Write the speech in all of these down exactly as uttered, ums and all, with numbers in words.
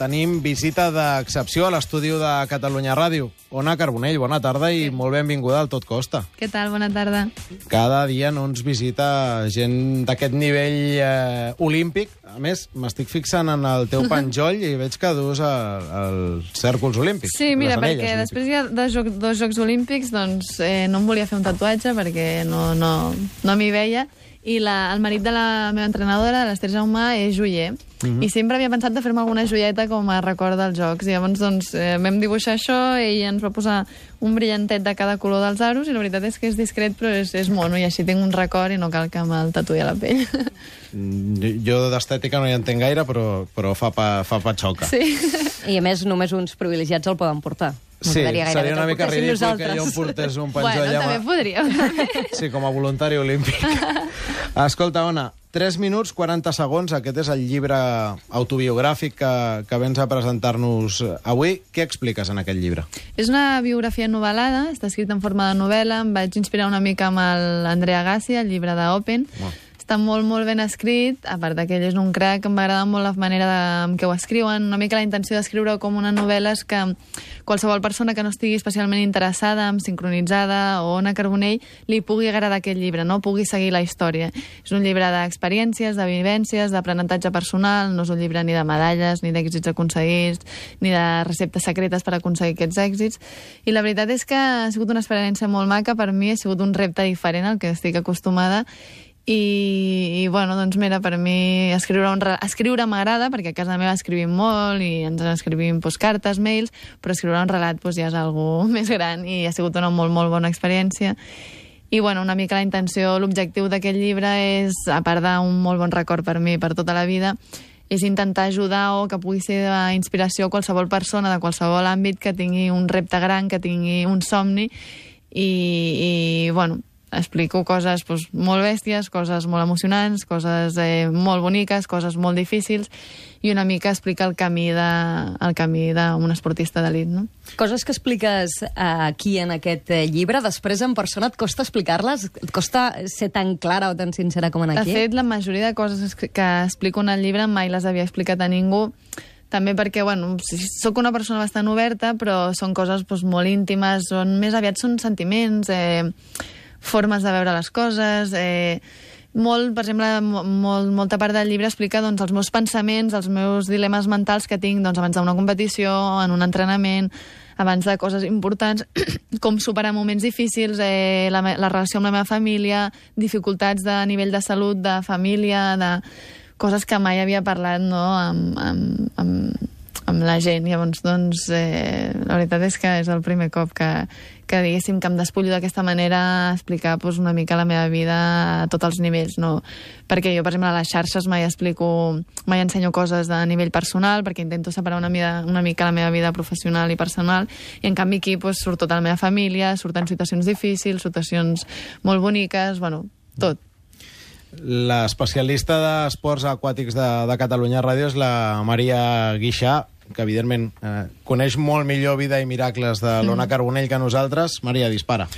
tenim visita d'excepció a l'estudi de Catalunya Ràdio. Ona Carbonell, bona tarda i molt benvinguda al Tot Costa. Què tal? Bona tarda. Cada dia no ens visita gent d'aquest nivell eh, olímpic. A més, m'estic fixant en el teu penjoll i veig que dus els cèrcols olímpics. Sí, mira, perquè olímpics. després hi ha dos, joc, dos Jocs Olímpics, doncs eh, no em volia fer un tatuatge perquè no, no, no m'hi veia. I la, el marit de la meva entrenadora, l'Ester Jaume, és joier. Uh-huh. I sempre havia pensat de fer-me alguna joieta com a record dels Jocs. I llavors, doncs, eh, vam dibuixar això i ell ens va posar un brillantet de cada color dels aros i la veritat és que és discret però és, és mono i així tinc un record i no cal que me'l tatuï a la pell. Jo d'estètica no hi entenc gaire, però, però fa, pa, fa patxoca. Sí. I a més, només uns privilegiats el poden portar. Sí, seria una mica ridícul que jo em portés un penjoll. Bueno, també podríem. Sí, com a voluntari olímpic. Escolta, Ona, tres minuts, quaranta segons. Aquest és el llibre autobiogràfic que, que vens a presentar-nos avui. Què expliques en aquest llibre? És una biografia novel·lada, està escrita en forma de novel·la. Em vaig inspirar una mica amb l'Andrea Gassi, el llibre d'Open. Oh. Està molt, molt ben escrit, a part que ell és un crac, em va agradar molt la manera de, amb què ho escriuen. Una mica la intenció d'escriure com una novel·la és que qualsevol persona que no estigui especialment interessada, amb sincronitzada o Ona Carbonell, li pugui agradar aquest llibre, no pugui seguir la història. És un llibre d'experiències, de vivències, d'aprenentatge personal, no és un llibre ni de medalles, ni d'èxits aconseguits, ni de receptes secretes per aconseguir aquests èxits. I la veritat és que ha sigut una experiència molt maca, per mi ha sigut un repte diferent al que estic acostumada. I, i bueno, doncs mira, per mi escriure, un, escriure m'agrada, perquè a casa meva escrivim molt i ens escrivim doncs, cartes, mails, però escriure un relat doncs, ja és algo més gran i ha sigut una molt, molt bona experiència. I bueno, una mica la intenció, l'objectiu d'aquest llibre és, a part d'un molt bon record per mi per tota la vida, és intentar ajudar o que pugui ser d'inspiració a qualsevol persona de qualsevol àmbit que tingui un repte gran, que tingui un somni i, i bueno, explico coses doncs, molt bèsties, coses molt emocionants, coses eh, molt boniques, coses molt difícils i una mica explica el camí de, el camí d'un esportista d'elit, no? Coses que expliques eh, aquí en aquest eh, llibre, després en persona et costa explicar-les? Et costa ser tan clara o tan sincera com en aquí? De fet, la majoria de coses que explico en el llibre mai les havia explicat a ningú, també perquè, bueno, soc una persona bastant oberta, però són coses doncs, molt íntimes, són, més aviat són sentiments, eh, formes de veure les coses, eh, molt, per exemple, molt, molta part del llibre explica doncs, els meus pensaments, els meus dilemes mentals que tinc doncs, abans d'una competició, en un entrenament, abans de coses importants, com superar moments difícils, eh, la, la relació amb la meva família, dificultats de nivell de salut, de família, de coses que mai havia parlat no, amb, amb, amb, amb la gent. Llavors, doncs, eh, la veritat és que és el primer cop que, que diguéssim, que em despullo d'aquesta manera a explicar pues, una mica la meva vida a tots els nivells, no? Perquè jo, per exemple, a les xarxes mai explico, mai ensenyo coses de nivell personal, perquè intento separar una, mida, una mica la meva vida professional i personal, i en canvi aquí pues, surt tota la meva família, surten situacions difícils, situacions molt boniques, bueno, tot. L'especialista d'esports aquàtics de, de Catalunya Ràdio és la Maria Guixà, que evidentment eh, coneix molt millor vida i miracles de l'Ona Carbonell que nosaltres. Maria, dispara.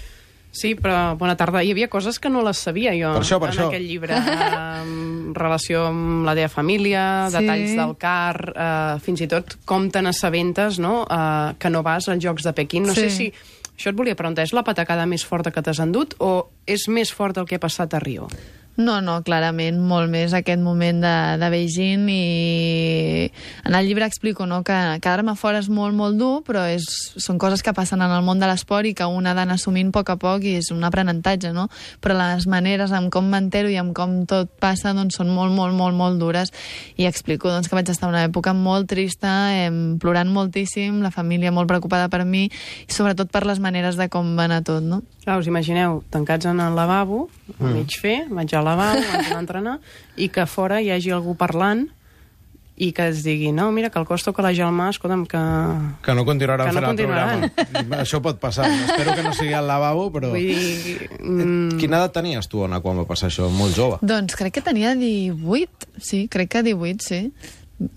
Sí, però bona tarda. Hi havia coses que no les sabia jo per això, per en això. aquest llibre. En relació amb la teva família, sí. Detalls del car, eh, fins i tot com te n'assabentes, no? Eh, que no vas als Jocs de Pequín. No sí. sé si... Això et volia preguntar, és la patacada més forta que t'has endut o és més fort el que ha passat a Rio? No, no, clarament, molt més aquest moment de, de Beijing i en el llibre explico no, que quedar-me fora és molt, molt dur, però és, són coses que passen en el món de l'esport i que un ha d'anar assumint a poc a poc i és un aprenentatge, no? Però les maneres amb com m'entero i amb com tot passa doncs, són molt, molt, molt, molt dures i explico doncs, que vaig estar una època molt trista, eh, plorant moltíssim, la família molt preocupada per mi i sobretot per les maneres de com va anar tot, no? Clar, us imagineu, tancats en el lavabo, a mm. mig fer, vaig al lavabo, vaig a entrenar, i que fora hi hagi algú parlant i que es digui, no, mira, que el Costa o que la Gelmà, escolta'm, que... Que no continuaran que no fent continuaran. el programa. Això pot passar. Espero que no sigui al lavabo, però... Vull dir... Mm... Quina edat tenies tu, Ona, quan va passar això? Molt jove. Doncs crec que tenia divuit, sí, crec que divuit, sí.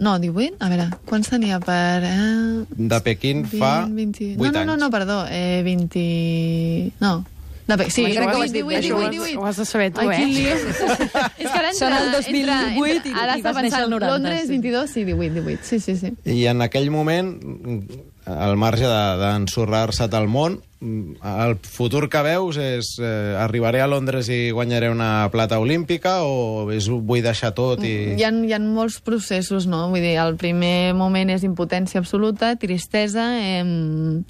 No, divuit? A veure, quants tenia per... Eh... De Pequín fa vint, vint... vuit no, no, anys. No, no, perdó, eh, vint... No, De Pequín, sí, Crec que ho has dit divuit, bé, divuit, això divuit. Ho has de saber tu, Ai, eh? quin lío. És que ara entra... Són el dos mil vuit entra, i- entra, ara i està vas néixer pensant el noranta, Londres, sí. vint-i-dos, sí, divuit, divuit. Sí, sí, sí. I en aquell moment, al marge de- d'ensorrar-se't al món, el futur que veus és eh, arribaré a Londres i guanyaré una plata olímpica o és, vull deixar tot i... Hi ha, hi ha molts processos, no? Vull dir, el primer moment és impotència absoluta, tristesa, eh,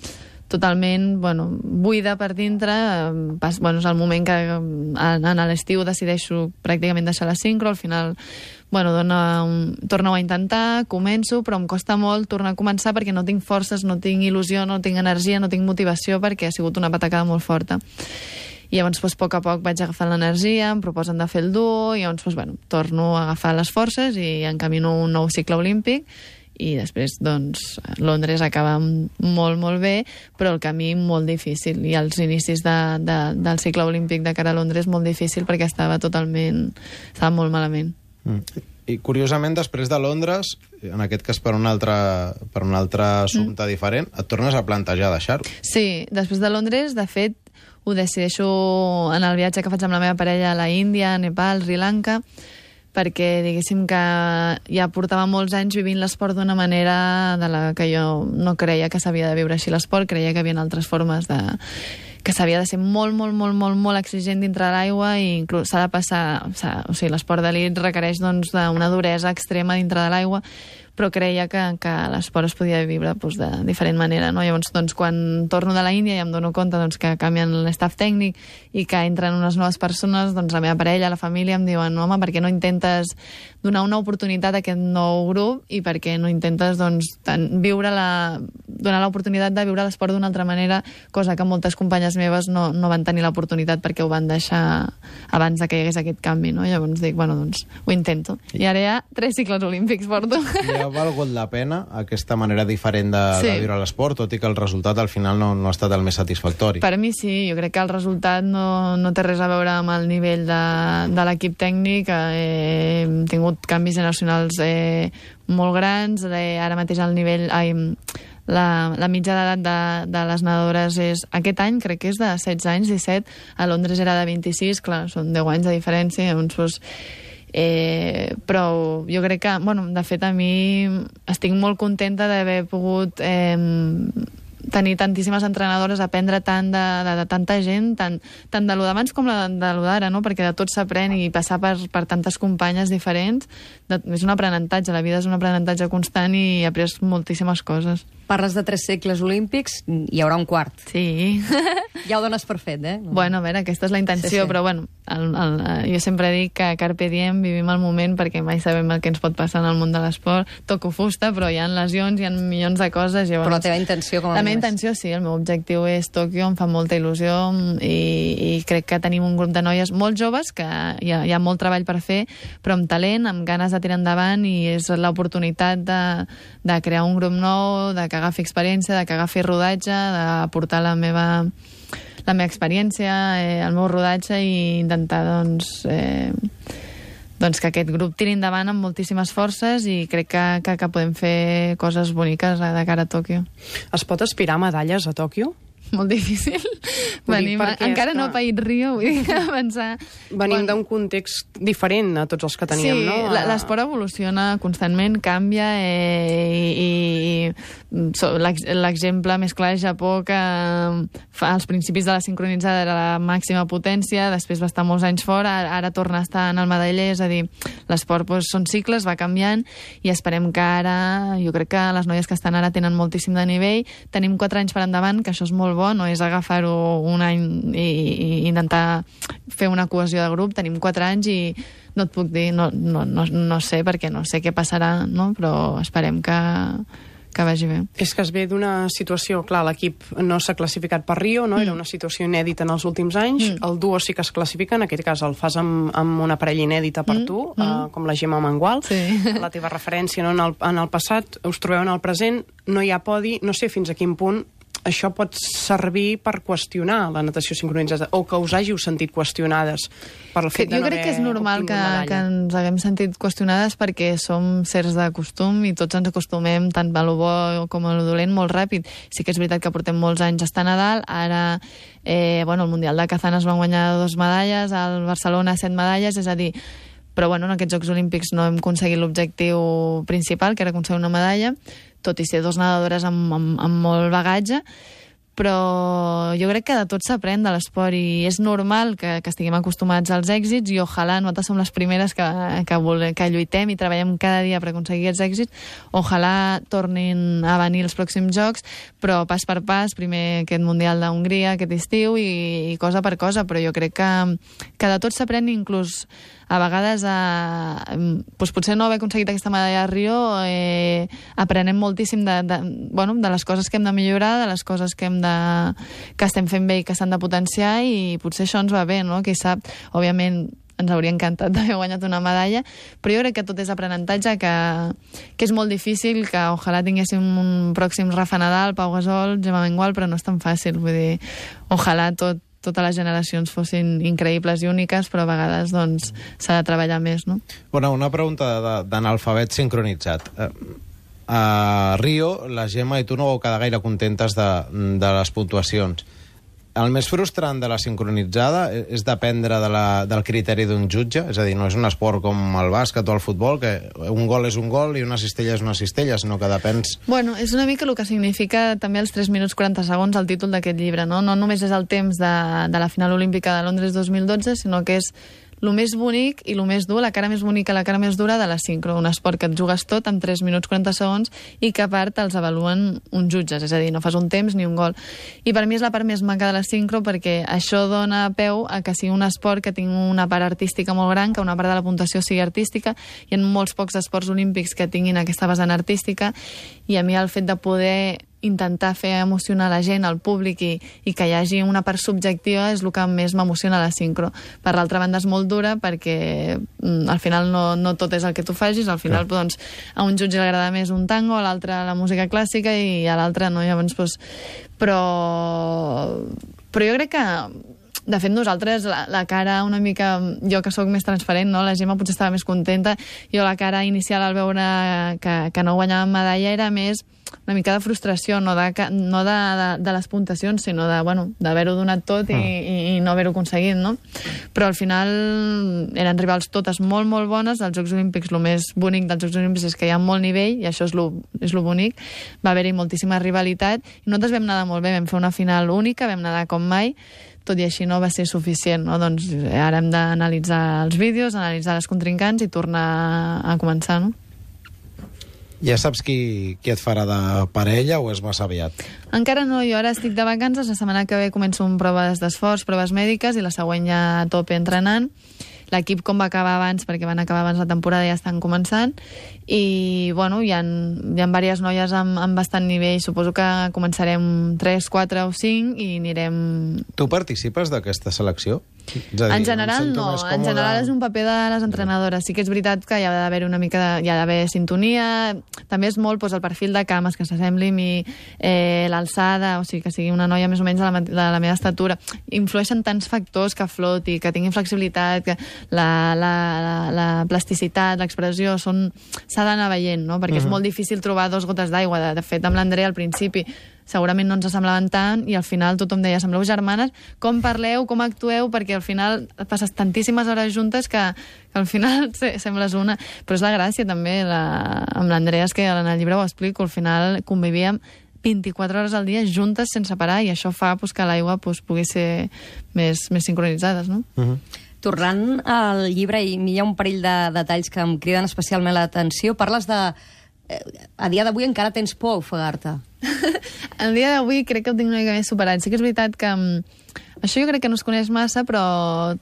totalment, bueno, buida per dintre. Eh, pas, bueno, és el moment que eh, en, en l'estiu decideixo pràcticament deixar la sincro, al final bueno, dona un... torno a intentar, començo, però em costa molt tornar a començar perquè no tinc forces, no tinc il·lusió, no tinc energia, no tinc motivació perquè ha sigut una patacada molt forta. I llavors, doncs, a poc a poc vaig agafant l'energia, em proposen de fer el duo, i llavors, doncs, bueno, torno a agafar les forces i encamino un nou cicle olímpic, i després, doncs, Londres acaba molt, molt bé, però el camí molt difícil, i els inicis de, de, del cicle olímpic de cara a Londres molt difícil perquè estava totalment... estava molt malament. Mm. I curiosament, després de Londres, en aquest cas per un altre, per un altre assumpte mm. diferent, et tornes a plantejar deixar-ho. Sí, després de Londres, de fet, ho decideixo en el viatge que faig amb la meva parella a la Índia, Nepal, Sri Lanka, perquè diguéssim que ja portava molts anys vivint l'esport d'una manera de la que jo no creia que s'havia de viure així l'esport, creia que hi havia altres formes de... que s'havia de ser molt, molt, molt, molt, molt exigent dintre de l'aigua i inclús s'ha de passar... O sigui, l'esport d'elit requereix doncs, una duresa extrema dintre de l'aigua, però creia que, que l'esport es podia viure doncs, de diferent manera. No? Llavors, doncs, quan torno de la Índia i em dono compte doncs, que canvien l'estaf tècnic i que entren unes noves persones, doncs la meva parella, la família, em diuen home, per què no intentes donar una oportunitat a aquest nou grup i per què no intentes doncs, tant, viure la, donar l'oportunitat de viure l'esport d'una altra manera, cosa que moltes companyes meves no, no van tenir l'oportunitat perquè ho van deixar abans de que hi hagués aquest canvi. No? Llavors dic, bueno, doncs ho intento. I ara hi ha tres cicles olímpics porto. I ha valgut la pena aquesta manera diferent de, Sí. de viure l'esport, tot i que el resultat al final no, no ha estat el més satisfactori. Per mi sí, jo crec que el resultat no, no té res a veure amb el nivell de, de l'equip tècnic. Eh, hem tingut canvis generacionals eh, molt grans, eh, ara mateix el nivell... Ai, la, la mitja d'edat de, de les nedadores és, aquest any crec que és de setze anys, disset, a Londres era de vint-i-sis, clar, són deu anys de diferència, llavors doncs, Eh, però jo crec que, bueno, de fet a mi estic molt contenta d'haver pogut eh, tenir tantíssimes entrenadores, aprendre tant de, de, de tanta gent, tant, tant de lo d'abans com de, de lo d'ara, no? Perquè de tot s'aprèn i passar per, per tantes companyes diferents de, és un aprenentatge, la vida és un aprenentatge constant i he après moltíssimes coses. Parles de tres segles olímpics, hi haurà un quart. Sí. Ja ho dones per fet, eh? Bueno, a veure, aquesta és la intenció, Sí, sí. però bueno, el, el, jo sempre dic que carpe diem, vivim el moment perquè mai sabem el que ens pot passar en el món de l'esport. Toco fusta, però hi ha lesions, hi ha milions de coses. Llavors, Però la teva intenció, com a La meva mínim, és- intenció, sí, el meu objectiu és Tòquio, em fa molta il·lusió i, i crec que tenim un grup de noies molt joves que hi ha, hi ha molt treball per fer, però amb talent, amb ganes de tirar endavant i és l'oportunitat de, de crear un grup nou, de que agafi experiència, de que agafi rodatge, d'aportar la meva la meva experiència, eh, el meu rodatge i intentar doncs, eh, doncs que aquest grup tiri endavant amb moltíssimes forces i crec que, que, que podem fer coses boniques de cara a Tòquio. Es pot aspirar a medalles a Tòquio? Molt difícil. Vull dir, Venim, perquè encara és no que- ha paït Rio, vull dir que avançar... Venim Bueno, d'un context diferent a tots els que teníem, sí, no? la- l'esport evoluciona constantment, canvia eh, i, i, i so, l'ex- l'exemple més clar és Japó, que fa, als principis de la sincronitzada era la màxima potència, després va estar molts anys fora, ara, ara torna a estar en el medaller, és a dir, l'esport doncs, són cicles, va canviant i esperem que ara, jo crec que les noies que estan ara tenen moltíssim de nivell, tenim quatre anys per endavant, que això és molt bo, no és agafar-ho un any i, i intentar fer una cohesió de grup, tenim quatre anys i no et puc dir, no, no, no, no sé perquè no sé què passarà, no? Però esperem que, que vagi bé. És que es ve d'una situació, clar, l'equip no s'ha classificat per Rio, no? Era una situació inèdita en els últims anys, Mm. el duo sí que es classifica, en aquest cas el fas amb, amb una parella inèdita per Mm, tu, mm. eh, com la Gemma Mangual, Sí. la teva referència no? en, el, en el passat, us trobeu en el present, no hi ha podi, no sé fins a quin punt això pot servir per qüestionar la natació sincronitzada, o que us hàgiu sentit qüestionades per el fet de no jo crec que és normal que, que ens haguem sentit qüestionades perquè som sers de costum i tots ens acostumem tant a lo bo com a lo dolent molt ràpid. Sí que és veritat que portem molts anys estant a dalt, ara eh, bueno, el Mundial de Kazan es van guanyar dos medalles, al Barcelona set medalles, és a dir, però bueno, en aquests Jocs Olímpics no hem aconseguit l'objectiu principal, que era aconseguir una medalla, tot i ser dos nedadores amb, amb, amb molt bagatge, però jo crec que de tot s'aprèn de l'esport i és normal que, que estiguem acostumats als èxits i ojalà nosaltres som les primeres que, que, vole, que lluitem i treballem cada dia per aconseguir aquests èxits. Ojalà tornin a venir els pròxims Jocs, però pas per pas, primer aquest Mundial d'Hongria aquest estiu i, i cosa per cosa, però jo crec que, que de tot s'aprèn, inclús a vegades a, doncs potser no haver aconseguit aquesta medalla a Rio, eh, aprenem moltíssim de, de, bueno, de les coses que hem de millorar, de les coses que hem de, que estem fent bé i que s'han de potenciar, i potser això ens va bé, no? Qui sap, òbviament ens hauria encantat d'haver guanyat una medalla, però jo crec que tot és aprenentatge, que, que és molt difícil, que ojalà tinguéssim un pròxim Rafa Nadal, Pau Gasol, Gemma Mengual, però no és tan fàcil, vull dir, ojalà tot totes les generacions fossin increïbles i úniques, però a vegades doncs s'ha de treballar més, no? Bueno, una pregunta d'analfabet sincronitzat. A Rio, la Gemma i tu no vau quedar gaire contentes de, de les puntuacions. El més frustrant de la sincronitzada és dependre de la, del criteri d'un jutge, és a dir, no és un esport com el bàsquet o el futbol, que un gol és un gol i una cistella és una cistella, sinó que depens... Bueno, és una mica el que significa també els tres minuts quaranta segons el títol d'aquest llibre, no? No només és el temps de, de la final olímpica de Londres dos mil dotze, sinó que és el més bonic i el més dur, la cara més bonica i la cara més dura de la sincro, un esport que et jugues tot en tres minuts quaranta segons i que a part els avaluen uns jutges, és a dir, no fas un temps ni un gol. I per mi és la part més maca de la sincro perquè això dona peu a que sigui un esport que tingui una part artística molt gran, que una part de la puntuació sigui artística. Hi ha molts pocs esports olímpics que tinguin aquesta vessant artística i a mi el fet de poder intentar fer emocionar la gent, el públic, i, i que hi hagi una part subjectiva és el que més m'emociona a la sincro. Per l'altra banda és molt dura perquè mm, al final no, no tot és el que tu facis, al final ja. Doncs, a un jutge li agrada més un tango, a l'altre la música clàssica i a l'altre no, llavors doncs, però però jo crec que de fet, nosaltres, la, la cara una mica... Jo que sóc més transparent, no? La Gemma potser estava més contenta. Jo la cara inicial al veure que, que no guanyàvem medalla era més una mica de frustració, no de, no de, de, de les puntuacions, sinó de, bueno, d'haver-ho donat tot i, i, i no haver-ho aconseguit, no? Però al final eren rivals totes molt, molt bones. Als Jocs Olímpics, el més bonic dels Jocs Olímpics és que hi ha molt nivell, i això és lo, és lo bonic. Va haver-hi moltíssima rivalitat, i nosaltres vam nedar molt bé, vam fer una final única, vam nedar com mai, tot i així no va ser suficient, no? Doncs ara hem d'analitzar els vídeos, analitzar les contrincants i tornar a començar, no? Ja saps qui, qui et farà de parella o és massa aviat? Encara no, jo ara estic de vacances, la setmana que ve començo amb proves d'esforç, proves mèdiques, i la següent ja a tope entrenant. L'equip, com va acabar abans, perquè van acabar abans la temporada, ja estan començant, i bueno, hi ha, hi ha diverses noies amb, amb bastant nivell. Suposo que començarem tres, quatre o cinc i anirem... Tu participes d'aquesta selecció? És a dir, en general no, en general és un paper de les entrenadores. Sí que és veritat que hi ha d'haver una mica de, hi ha d'haver sintonia, també és molt doncs, el perfil de cames, que s'assembli a mi, eh, l'alçada, o sigui, que sigui una noia més o menys de la, de la meva estatura. Influeixen tants factors, que floti, que tingui flexibilitat, que la, la, la, la plasticitat, l'expressió, són... s'ha d'anar veient, no? Perquè uh-huh. és molt difícil trobar dos gotes d'aigua. De, de fet, amb l'Andrea al principi segurament no ens semblaven tant, i al final tothom deia, sembleu germanes, com parleu, com actueu, perquè al final passes tantíssimes hores juntes que, que al final sembles una. Però és la gràcia també, la, amb l'Andrea, és que en el llibre ho explico, al final convivíem vint-i-quatre hores al dia juntes sense parar, i això fa pues, que l'aigua pues, pugui ser més, més sincronitzades, no? Uh-huh. Tornant al llibre, i hi ha un parell de detalls que em criden especialment l'atenció. Parles de... A dia d'avui encara tens por a ofegar-te. El dia d'avui crec que ho tinc una mica més superat. Sí que és veritat que això jo crec que no es coneix massa, però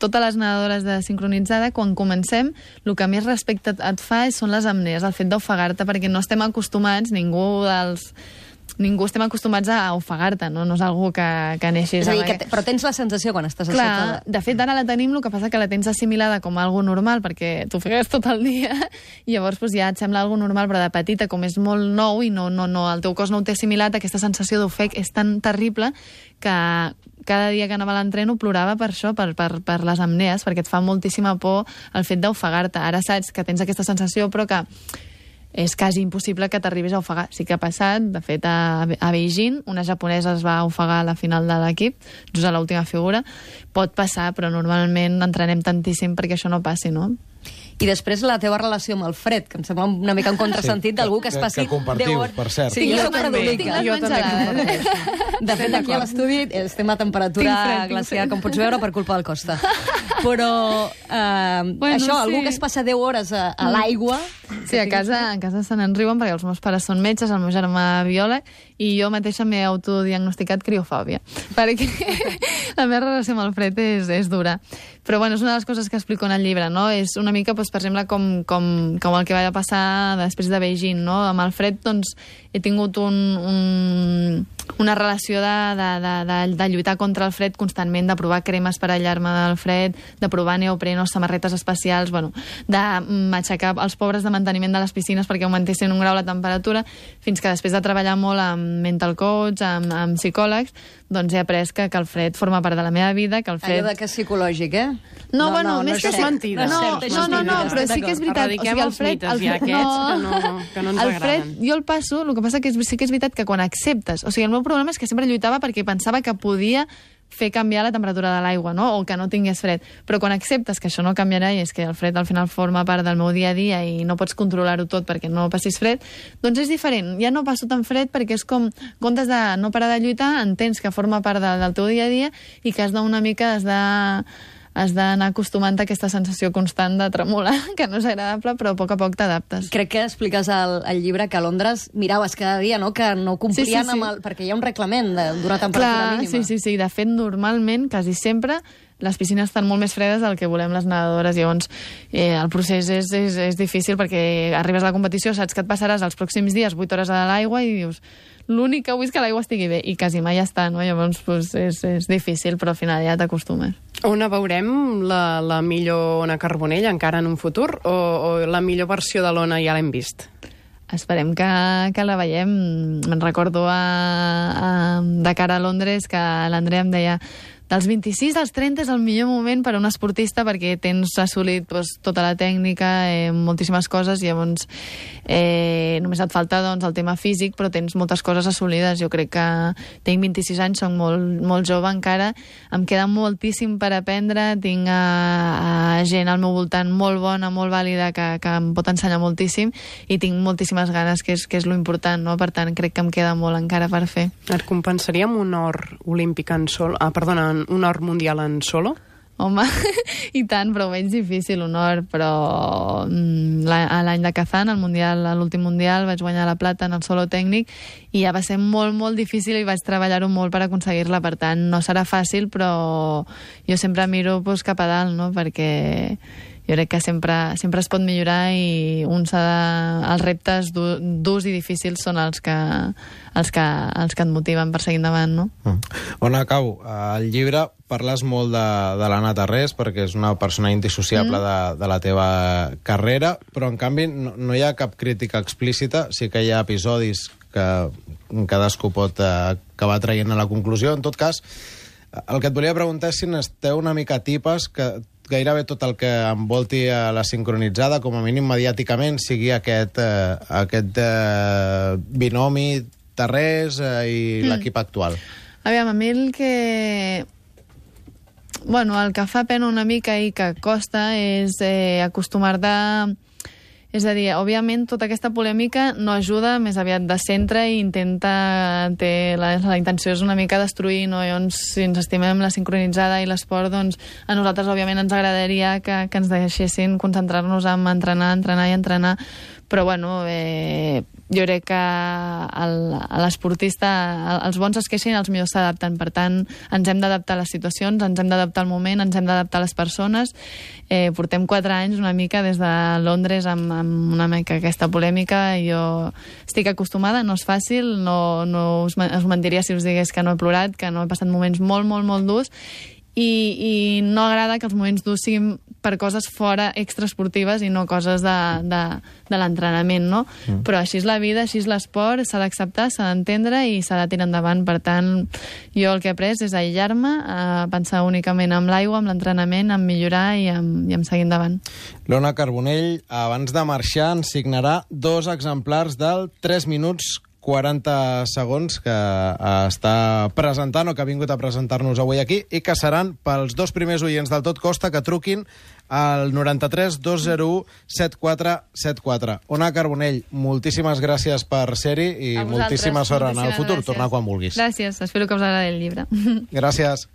totes les nedadores de sincronitzada, quan comencem, el que més respecte et fa són les apnees, el fet d'ofegar-te, perquè no estem acostumats, ningú dels... ningú estem acostumats a ofegar-te, no? No és algú que, que neixis... És a dir, que te, però tens la sensació quan estàs Clar, a sota... de fet, ara la tenim, el que passa que la tens assimilada com a algo normal, perquè t'ofegues tot el dia, i llavors pues, ja et sembla algo normal, però de petita, com és molt nou i no, no, no, el teu cos no ho té assimilat, aquesta sensació d'ofec és tan terrible que cada dia que anava a l'entreno plorava per això, per, per, per les amnees, perquè et fa moltíssima por el fet d'ofegar-te. Ara saps que tens aquesta sensació, però que és quasi impossible que t'arribis a ofegar. Sí que ha passat, de fet, a, a Beijing, una japonesa es va ofegar a la final de l'equip, just a l'última figura. Pot passar, però normalment entrenem tantíssim perquè això no passi, no? I després la teva relació amb el fred, que em sembla una mica un contrasentit sí, d'algú que es passi que compartiu, per cert. Sí, tinc jo les també. tinc les Jo també menjades. De fet, aquí a l'estudi estem a temperatura Tinc fred, tinc glacial, fred. com pots veure, per culpa del Costa. Però eh, Bueno, això, sí. algú que es passa deu hores a, a l'aigua... Sí, a casa, a casa se n'en riuen perquè els meus pares són metges, el meu germà biòleg, i jo mateixa m'he autodiagnosticat criofòbia, perquè la meva relació amb el fred és, és dura. Però bueno, és una de les coses que explico en el llibre, no? És una mica, doncs, per exemple, com, com, com el que va passar després de Beijing, no? Amb el fred, doncs, he tingut un, un, una relació de, de, de, de, de lluitar contra el fred constantment, de provar cremes per aïllar-me del fred, de provar neoprenos, samarretes especials, bueno, de m'aixecar els pobres de manteniment de les piscines perquè augmentessin un grau la temperatura, fins que després de treballar molt amb mental coach, amb, amb psicòlegs, doncs he après que, que el fred forma part de la meva vida, que el fred... Allò de que és psicològic, eh? No, No, bueno, no, més no que... és cert. mentida. No, No és cert, no, no, no, mentida, però estic sí que és d'acord. veritat. Erradiquem els mites ja aquests que no- que no ens el fred, agraden. jo el passo, el que passa que és, sí que és veritat que quan acceptes... O sigui, el meu problema és que sempre lluitava perquè pensava que podia fer canviar la temperatura de l'aigua, no? O que no tingués fred. Però quan acceptes que això no canviarà i és que el fred al final forma part del meu dia a dia i no pots controlar-ho tot perquè no passis fred, doncs és diferent. Ja no passo tan fred perquè és com, en comptes de no parar de lluitar, entens que forma part de, del teu dia a dia i que has d'una mica, has de has d'anar acostumant a aquesta sensació constant de tremolar, que no és agradable, però a poc a poc t'adaptes. Crec que expliques al, al llibre que a Londres miraves cada dia, no?, que no complien Sí, sí, sí. amb el... Perquè hi ha un reglament de- d'una temperatura Clar, mínima. sí, sí, sí. De fet, normalment, quasi sempre, les piscines estan molt més fredes del que volem les nedadores. Llavors, eh, el procés és, és, és difícil perquè arribes a la competició, saps que et passaràs els pròxims dies vuit hores a l'aigua i dius l'únic que vull és que l'aigua estigui bé, i quasi mai està, no? Llavors, pues, és, és difícil, però al final ja t'acostumes. On veurem la, la millor Ona Carbonell encara en un futur o, o la millor versió de l'Ona ja l'hem vist? Esperem que, que la veiem. Me'n recordo a, a, de cara a Londres que l'Andrea em deia dels vint-i-sis als trenta és el millor moment per a un esportista perquè tens assolit doncs, tota la tècnica, eh, moltíssimes coses, i llavors eh, només et falta doncs, el tema físic, però tens moltes coses assolides. Jo crec que tinc vint-i-sis anys, soc molt, molt jove encara, em queda moltíssim per aprendre, tinc a, a gent al meu voltant molt bona, molt vàlida, que, que em pot ensenyar moltíssim, i tinc moltíssimes ganes, que és, que és lo important, no? Per tant, crec que em queda molt encara per fer. Et compensaria amb un or olímpic en solo? Ah, perdona, un or mundial en solo? Home, i tant, però ho veig difícil, honor, però mm, la- a l'any de Kazan, al mundial, a l'últim mundial, vaig guanyar la plata en el solo tècnic i ja va ser molt, molt difícil i vaig treballar-ho molt per aconseguir-la, per tant, no serà fàcil, però jo sempre miro pues, cap a dalt, no?, perquè jo crec que sempre, sempre es pot millorar i un s'ha de... els reptes du- durs i difícils són els que, els que, els que et motiven per seguir endavant, no? Mm. On acabo? Al llibre parles molt de, de l'Anna Tarrés perquè és una persona indissociable mm. de, de la teva carrera, però en canvi no, no hi ha cap crítica explícita, sí que hi ha episodis que cadascú pot eh, acabar traient a la conclusió. En tot cas, el que et volia preguntar és si n'esteu una mica tipes que gairebé tot el que envolti a la sincronitzada, com a mínim mediàticament, sigui aquest, eh, aquest eh, binomi Tarrés eh, i mm. l'equip actual. Aviam, a mi el que... Bueno, el que fa pena una mica i que costa és eh, acostumar-te... És a dir, òbviament, tota aquesta polèmica no ajuda, més aviat de centre, i intenta... Té, la, la intenció és una mica destruir, no? Llavors, si ens estimem la sincronitzada i l'esport, doncs a nosaltres, òbviament, ens agradaria que, que ens deixessin concentrar-nos en entrenar, entrenar i entrenar, però, bueno, eh, jo crec que l'esportista, els bons es queixen i els millors s'adapten. Per tant, ens hem d'adaptar a les situacions, ens hem d'adaptar al moment, ens hem d'adaptar a les persones. Eh, portem quatre anys una mica des de Londres amb, amb una mica aquesta polèmica. Jo estic acostumada, no és fàcil, no, no us, us mentiria si us digués que no he plorat, que no he passat moments molt, molt, molt durs, i, i no agrada que els moments durs siguin per coses fora extraesportives i no coses de, de, de l'entrenament, no? Mm. Però així és la vida, així és l'esport, s'ha d'acceptar, s'ha d'entendre i s'ha de tirar endavant. Per tant, jo el que he après és aïllar-me, a pensar únicament en l'aigua, en l'entrenament, en millorar i en, i en seguir endavant. L'Ona Carbonell, abans de marxar, ens signarà dos exemplars del tres minuts quaranta segons que està presentant o que ha vingut a presentar-nos avui aquí i que seran pels dos primers oients del Tot Costa que truquin al noranta-tres dos zero u setanta quatre setanta quatre. Ona Carbonell, moltíssimes gràcies per ser-hi i moltíssima sort en el futur. Gràcies. Tornar quan vulguis. Gràcies, espero que us agradi el llibre. Gràcies.